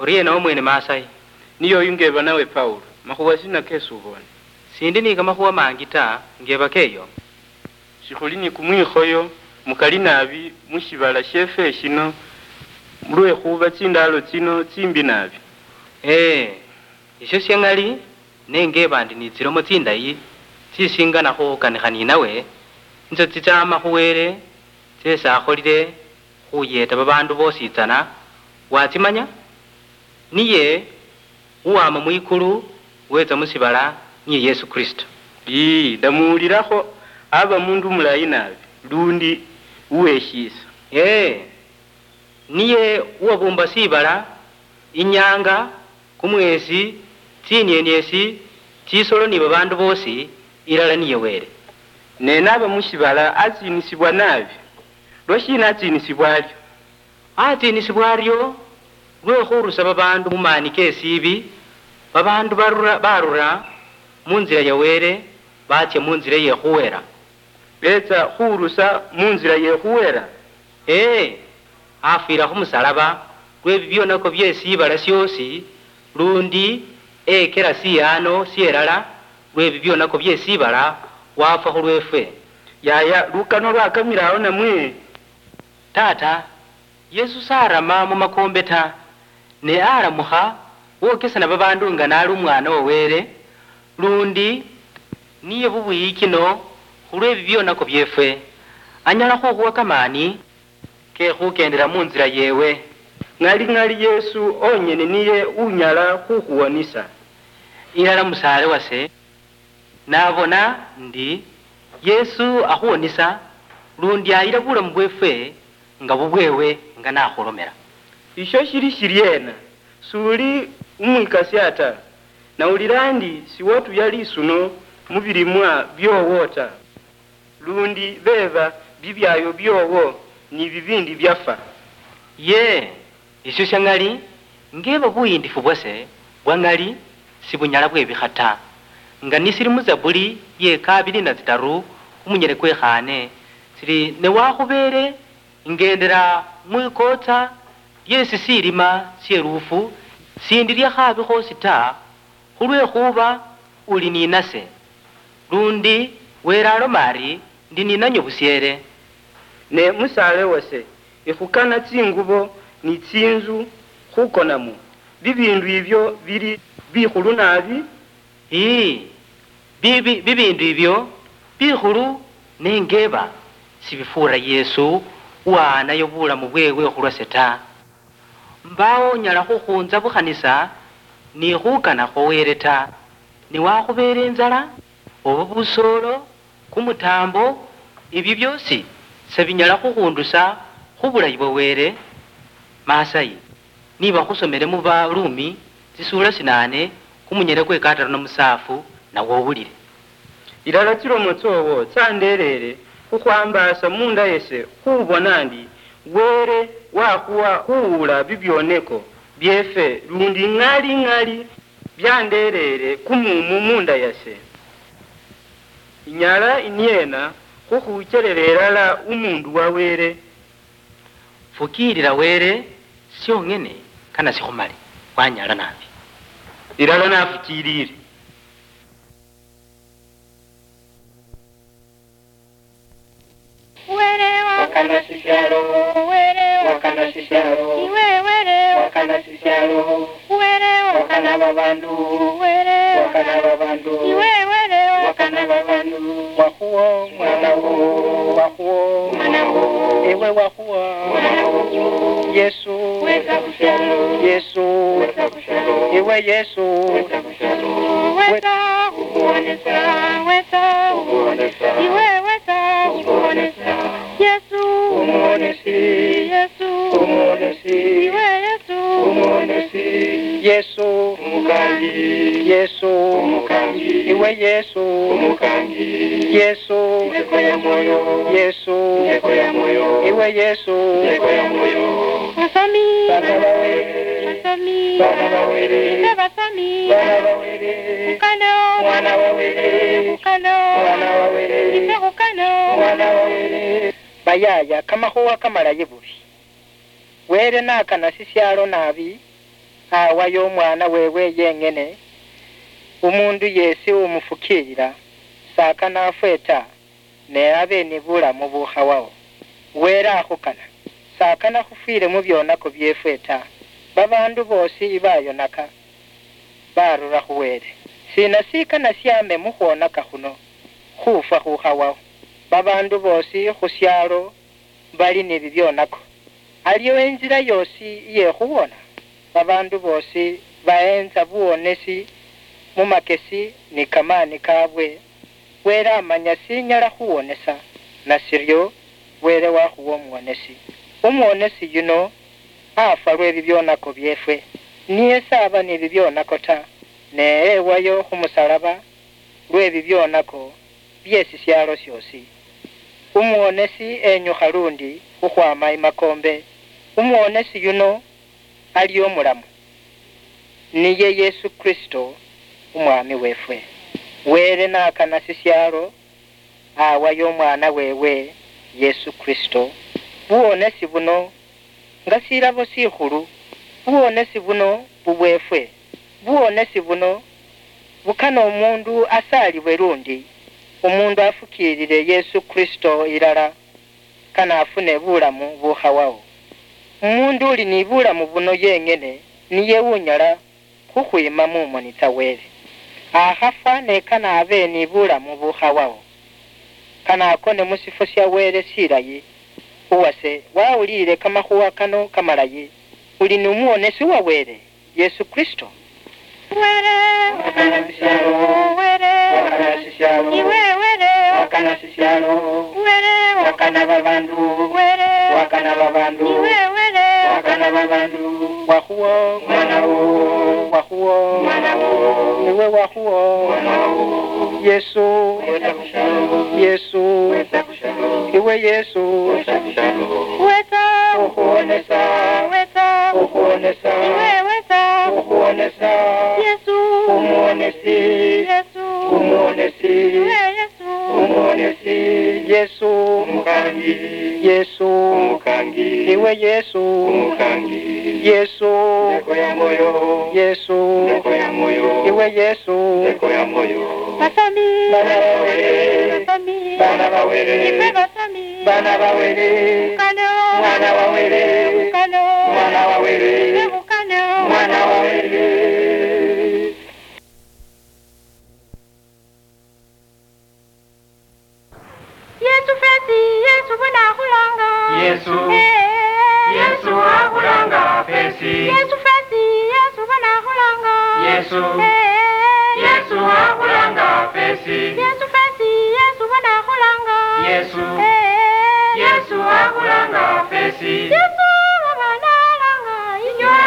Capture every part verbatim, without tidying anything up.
Oriena omwene Masayi? Niye oyu ngeba nawe Paulo, makhuwa sina kesubone? Sindi ni kamakhuwa mangi ta, ngeba keyo. Shikhuli ni kumwikhoyo mukali nabi mushibala shiefwe shino, mulwekhuba tsindalo tsino tsimbi nabi. Ee, esho shia ng'ali, ne ngeba ndi ni tsilomo tsindayi tsisingana khuhukanikha ninawe, nitsio tsitsama khu Wele, tsiesi akholile khuyeeta babaandu boosi tsana. Watsimanya? Niye uwama mwikulu, wetsa mu shiibala, niye Yesu Kristo. Ii, ndamuwulilakho, aba mundu mulayi naabi, lundi uweshiisa. Ee, niye uwabuumba shiibala, inyanga, kumwesi, tsinieniesi, tsisolo ni babaandu boosi, ilala niye Wele. Ne naba mu shiibala atsiinisibwa naabi. Lwashiina atsiinisibwa aryo? Atsiinisibwa aryo lwe khurusa babaandu mu maani ke shiibi, babaandu barura, barura mu nzila ya Wele, baatsia mu nzila ye khuhela. Beetsa khurusa mu nzila ye khuhela? Ee, afwila khu musalaba lwe bibyonako bye shiibala shiosi, lundi ekela shihaano shielala lwe bibyonako bye shiibala, wafwa khulwefwe. Yaya, lukanwa lwakamila awo namwe? Tata, Yesu sarama mu makombe ta, ne alamukha wokesana babaandu nga nali Umwana wa Wele, lundi niye bubwiyikino khulwe bibyonako byefwe. Anyala khukhuwa kamaani ke khukendela mu nzila yeewe. Ng'ali, ng'ali Yesu onyene niye unyala khukhuwonisa. Ilala musaale wase, nabona ndi Yesu akhuwonisa, lundi ayila bulamu bwefwe nga bubwewe nga nakhulomela. Isho shili shiliena? Suli umwikasia ta, nawulila ndi siwatuya lisuno mu bilimwa byoowo ta, lundi beeba bibyaayo byoowo ni bibiindi byafwa? Yee, isyo sya ng'ali, ngeeba buyiindifu bwase bwa ng'ali sibunyala bwebikha ta. Nga nisili mu Zabuli ye kaabili na tsitaru, khumunyele kwekhaane, sili, ne wakhubeele ngendela mwikootsa lye sisiilima sye luufu, sindilya khaabi khoosi ta, khulwekhuba uli ninase. Lundi Wele aloma ari, ndi ninanywe busyeele. Ne musaale wase, ikhukana tsingubo ni tsinzu khukonamwo, bibiindu ibyo bili bikhulu naabi? Ii, bibi, bibiindu ibyo bikhulu, ne ngeeba sibifuura Yesu uwaanayo bulamu bweewe khulwase ta. Mbaawo unyala khukhunza bukhanisa ni khukana khwa Wele ta. Niwakhubeela inzala, oba busoolo, kumutaambo, ibyo byoosi sebinyala khukhundusa khu bulayi bwa Wele. Masayi, niba khusomele mu Barumi tsisuula sinaane, kumunyele kwe kataru na musaafu, nawe owulile. Ilala tsilomo tsoowo tsandeeleele khukhwambaasa munda yase khubona ndi Wele wakhuwa khuwuula bibyoneko byeefwe, lundi ŋali ŋali byandeeleele kumuumu munda yase. Inyala inyeena khukhuchelela ilala umuundu wa Wele? Fukiilila Wele syong'ene, kana sikhumale, wanyala naabi. Ilala nafukiilile. Wele wakana sisialo, Wele wakana sisialo, iwe Wele wakana sisialo, Wele wakana babandu, Wele wakana babandu, iwe Wele wakana babandu. Wakhuwo, mwana wo, wakhuwo, mwana wo, ewe wakhuwo, mwana wo, Yesu, wetsa khusialo, Yesu, wetsa khusialo, ewe Yesu, wetsa khusialo, wetsa khukhwonesa, wetsa khukhwonesa, iwe wetsa khukhwonesa, Yesu, umuwonesi, Yesu, umuwonesi, iwe Yesu, umuwonesi, Yesu, umukangi, Yesu, umukangi, iwe Yesu, umukangi, Yesu, indeko ya mwoyo, Yesu, indeko ya mwoyo, iwe Yesu, indeko ya mwoyo. Basomi, bana ba Wele, basomi, bana ba Wele, ife basomi, bana ba Wele, khukaneo, mwana wa Wele, khukaneo, mwana wa Wele, ife khukaneo, mwana wa Wele. Bayaya, kamakhuwa kamalayi bubi. Wele nakana sisialo naabi, awayo Omwaana weewe yeeng'ene, umuundu yeesi umufukiirira, s'akana afwe ta, nae abe ni bulamu bubukhawawo. Wele akhukana. S'akana khufwiile mu byonako byeefwe ta. Babaandu boosi ibayonaka, barura khu Wele. Siina sikana syaame mu khwonaka khuno khufwa khukhawawo? Babaandu boosi khu syaalo bali ni bibyonako. Aliwo inzila yoosi iye khuwona? Babaandu boosi baheentsa buwonesi mu makesi ni kamaani kaabwe. Wele amanya sinyala khuwonesa, nasiryo Wele wakhuwa omuwonesi. Omuwonesi yuno afwa lwe bibyonako byeefwe. Niye s'aba ni bibyonako ta, ne ewayo khu musalaba lwe bibyonako bye sisyaalo syoosi. Umuwonesi enyukha lundi khukhwaama imakoombe. Umuwonesi yuno ali omulamu, niye Yesu Kristo, Umwaami weefwe. Wele n'akana sisyaalo, awayo Omwaana weewe, Yesu Kristo. Buwonesi buno nga silabo sikhulu, buwonesi buno bubweefwe. Buwonesi buno bukana omuundu asaalibwe lundi, omuundu afukiirire Yesu Kristo ilala, kane afune bulamu bukhawawo. Umuundu uli ni bulamu buno yeeng'ene niye unyala khukhwiima mu moni tsa Wele. Akhafwa ne kane abe ni bulamu bukhawawo. Kane akone mu shifwo sha Wele shilayi. Uwase, wawulile kamakhuwa kano kamalayi, uli ni Umuwonesi wa Wele, Yesu Kristo. Wele, wakana sisyaalo, Wele, wakana sisyaalo, iwe Wele, wakana sisyaalo, Wele, wakana babaandu, Wele, wakana babaandu, iwe Wele, wakana babaandu. Wakhuwo, mwana wo, wakhuwo, mwana wo, iwe wakhuwo, mwana wo, Yesu, wetsa khu syaalo, Yesu, wetsa khu syaalo, iwe Yesu, wetsa khu syaalo, wetsa, okhuwonesa, wetsa, okhuwonesa, iwe wetsa, okhuwonesa, Yesu, Umuwonesi, Yesu, Umuwonesi, iwe Yesu, Umuwonesi, Yesu, Umukaangi, Yesu, Umukaangi, iwe Yesu, Umukaangi, Yesu, Ndeko ya Mwoyo, Yesu, Ndeko ya Mwoyo, iwe Yesu, Ndeko ya Mwoyo. Basomi, baana ba Wele, basomi, baana ba Wele, ife basomi, baana ba Wele, mukano, mwana wa Wele, mukano, mwana wa Wele, ife mukano, mwana wa Wele. Yesu fesi, Yesu bona akhulanga. Yesu. Eh. Yesu akhulanga fesi. Yesu fesi, Yesu bona akhulanga. Yesu. Eh. Yesu akhulanga fesi. Yesu fesi, Yesu bona akhulanga. Yesu. Eh. Yesu akhulanga fesi. Yesu baba nalanga inywe.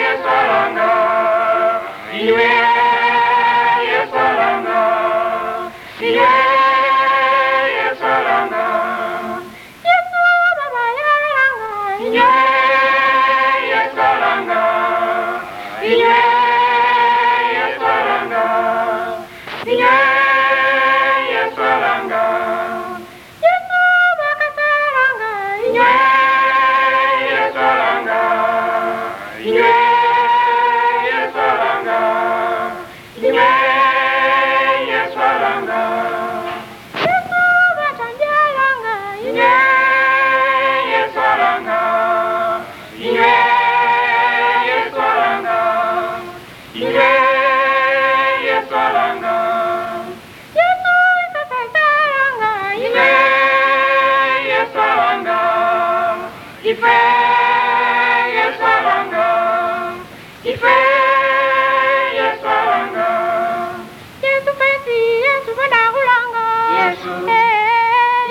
Yesu alanga. Iwe Yesu alanga. Iwe Yesu alanga. Yesu baba yalanga. Iwe Yesu alanga. Iwe Yesu alanga. Iwe Yesu alanga. Yesu bakasalanga. Inywe Yesu alanga. Inywe Yesu alanga. Inywe Yesu alanga. Yesu batambyalanga. Inywe Yesu alanga. Inywe Yesu alanga. Inywe Yesu alanga. Yesu ife fesi alanga. Inywe Yesu alanga. Ife Yesu alanga. Ife Yesu alanga. Yesu fesi, Yesu bona akhulanga. Yesu. Eh.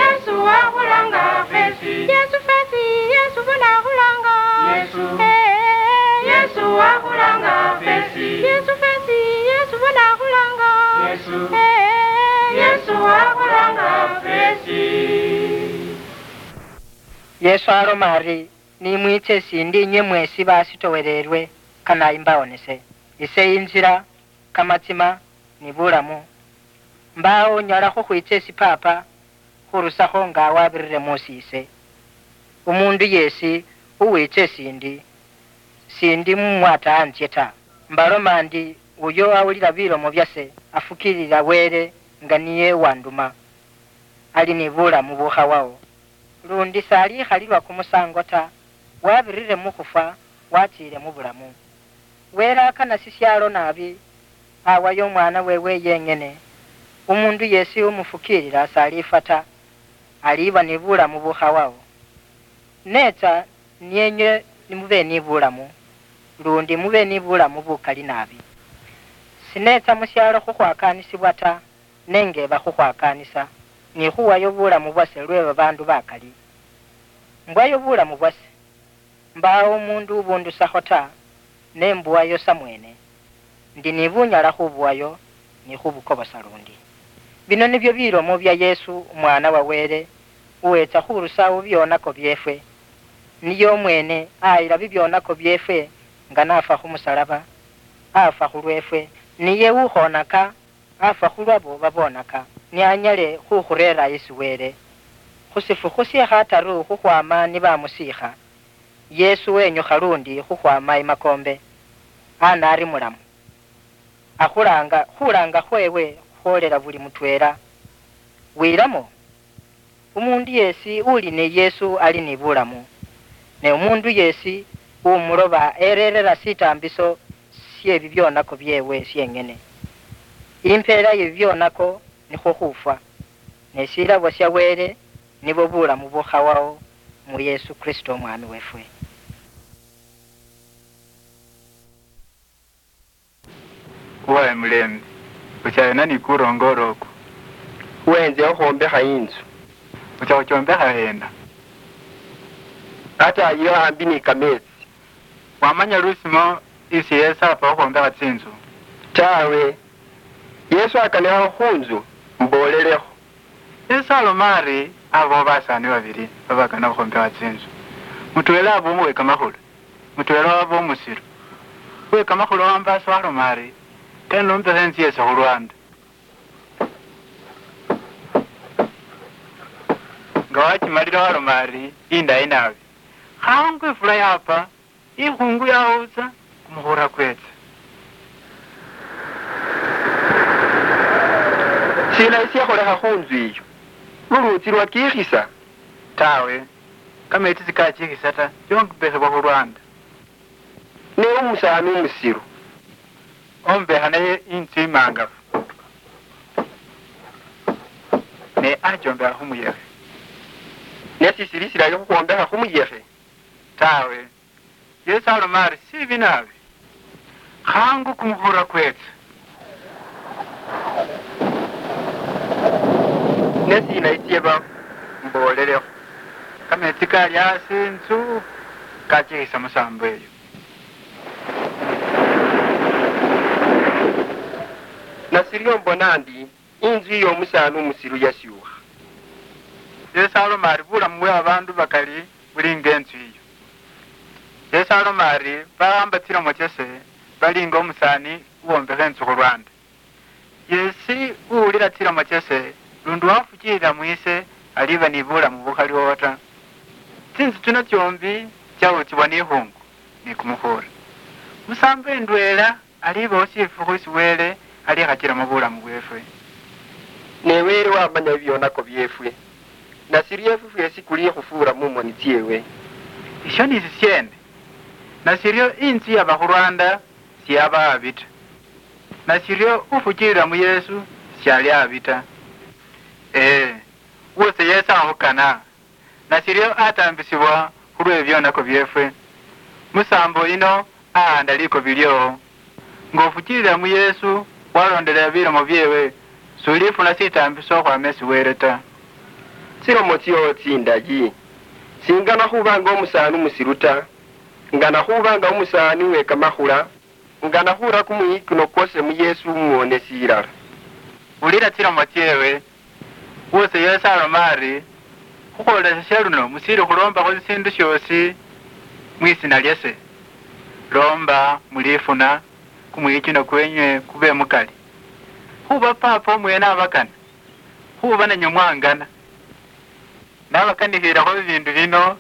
Yesu akhulanga fesi. Yesu fesi, Yesu bona akhulanga. Yesu. Eh. Yesu akhulanga fesi. Yesu fesi, Yesu bona akhulanga. Yesu. Eh. Yesu akhulanga fesi. Yesu aloma ari, "Nimwiitse esiindi inywe mweesi basitowereerwe, kanayi mbawonese. Ise inzira, kamatsima, ni bulamu. Mbaawo unyala khukhwiitsa esi Paapa khurusakho nga wabirire muusi ise. Umuundu yeesi uwiitsa esiindi, sindi mumwata anzye ta. Mbaloma ndi, uyo awulila bilomo byase, afukiilila Wele nga niye wanduma, ali ni bulamu bukhawawo. Lundi salikhalilwa kumusango ta, wabirire mukhufwa, watsiile mu bulamu. Wele akana sisyaalo naabi, awayo Omwaana weewe yeeng'ene. Umuundu yeesi umufukiilila s'aliifwa ta, aliiba ni bulamu bukhawawo. Neetsa ni enywe ni mube ni bulamu, luundi mube ni bulamu bukali naabi. Sineetsa mu syaalo khukhwakaanisibwa ta, nengeeba khukhwakaanisa, ni khuwayo bulamu bwase lwe babaandu bakali. Mbwayo bulamu bwase. Mbaawo umuundu ubundusakho ta, ne mbuwayo samweene. Ndi ni bunyala khubuwayo ni khubukobosa lundi. Bino nibyo bilomo bya Yesu, Umwaana wa Wele, uweetsa khurusawo bibyonako byeefwe. Niye umweene ayila bibyonako byeefwe nga n'afwa khu musalaba, afwa khulweefwe. Niye ukhonaka, afwa khulwabo baboonaka, ni anyale khukhureera isi Wele, khu shifukhu she khataru khukhwaama ni bamusiikha. Yesu wenyukha lundi khukhwaama imakoombe, anaari mulamu. Akhulaanga, khulaanga khweewe khwoolela buli mutweela. Wiilamo, umuundu yeesi uli ni Yesu ali ni bulamu, ne umuundu yeesi umuloba ereerera shitaambiso shye bibyonako byeewe syeeng'ene. Impeela ye bibyonako nikhwo khufwa, ne shilabo sha Wele nibwo bulamu bukhawawo mu Yesu Kristo Omwaami weefwe. Wawe mulembe, ochayena ni kurongoora oku? Wenze okhwombekha inzu. Ocha khuchombekha hena? Ataayi aambi ni kameetsi. Wamanya lusimo isi Yesu apa okhwombekha tsinzu? Tawe. Yesu akanikha khunzu, mboolelekho. Yesu aloma ari, aboo basaani babili babakana okhwombekha tsinzu, mutweela aba uwe kamakhulu, mutweela waba umusilu. Uwe kamakhulu wambaasa waloma ari, kane nombekhe inzu yase khu lwanda. Nga wachimalile waloma ari, indayi naabi. Khangu ifula yaapa, ikhungu yawutsa, kumukhura kwetsa. Siina isiakholekha khu nzu iyo? Luluutsi lwakiikhisa? Tawe, kameetsi sikachiikhisa ta, yombekhewa khu lwanda. Ne umusaani umusilu ombekha naye inzu imaangafu, ne achombekha khu muyekhe. Ne sisili silayi khukhwombekha khu muyekhe? Tawe. Yesu aloma ari, sibi naabi, khangu kumukhura kwetsa. Ne siina isieba mboolelekho? Kameetsi kali asi inzu kachikhisa musaambo eyo. Nashiryo mbona ndi inzu iyo omusaani umusilu yasyuukha. Yesu aloma ari, bulamu bwe babaandu bakali buli nga inzu iyo. Yesu aloma ari, bawamba tsilomo tsase bali nga omusaani uwombekha inzu khu lwanda. Yeesi uwulila tsilomo tsase, lundi wafukiilila mwiise, aliba ni bulamu bukhaliwowo ta. Tsinzu tsino tsyombi tsyahutsibwa ni ikhuungu ni kumukhuura. Musaambo indweela alibawo shifukhu isi Wele alikhachilamo bulamu bweefwe. Ne Wele wamanya bibyonako byeefwe, nashiryo efwe fweesi khulikhufuura mu moni tsyeewe. Isho ni sisyeene? Nashiryo inzu yaba khu lwanda siyaba habi ta. Nashiryo ufukiilila mu Yesu syali habi ta. Ee, woosi Yesu akhukana, nashiryo ataambisibwa khulwe byonako byeefwe. Musaambo yino ahaanda likobi lyoowo. Nga ufukiilila mu Yesu, waloondelela bilomo byeewe, sulifuna sitaambiso okhwaama esi Wele ta. Tsilomo tsyoowo tsindayi. Singana khuba nga omusaani umusilu ta. Ngana khuba nga omusaani we kamakhula, ngana khura kumwiyikino kwase mu Yesu Umuwonesi ilala. Wulila tsilomo tsyeewe. Woosi Yesu aloma ari, khukhwoolesesya luno musiili khuloombakho sisiindu syoosi mwisiina lyase, loomba, mulifuna, kumwiyikino kwenywe kube mukali. Khuba Paapa omweene abakana, khuba nanywe mwangana. Nabakanikhilekho bibiindu bino,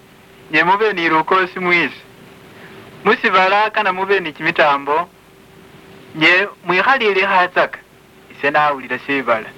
nywe mube ni lukoosi mwiise. Musibala kana mube ni chimitambo, nye mwikhalilikhatsaka, ise nawulila sibala.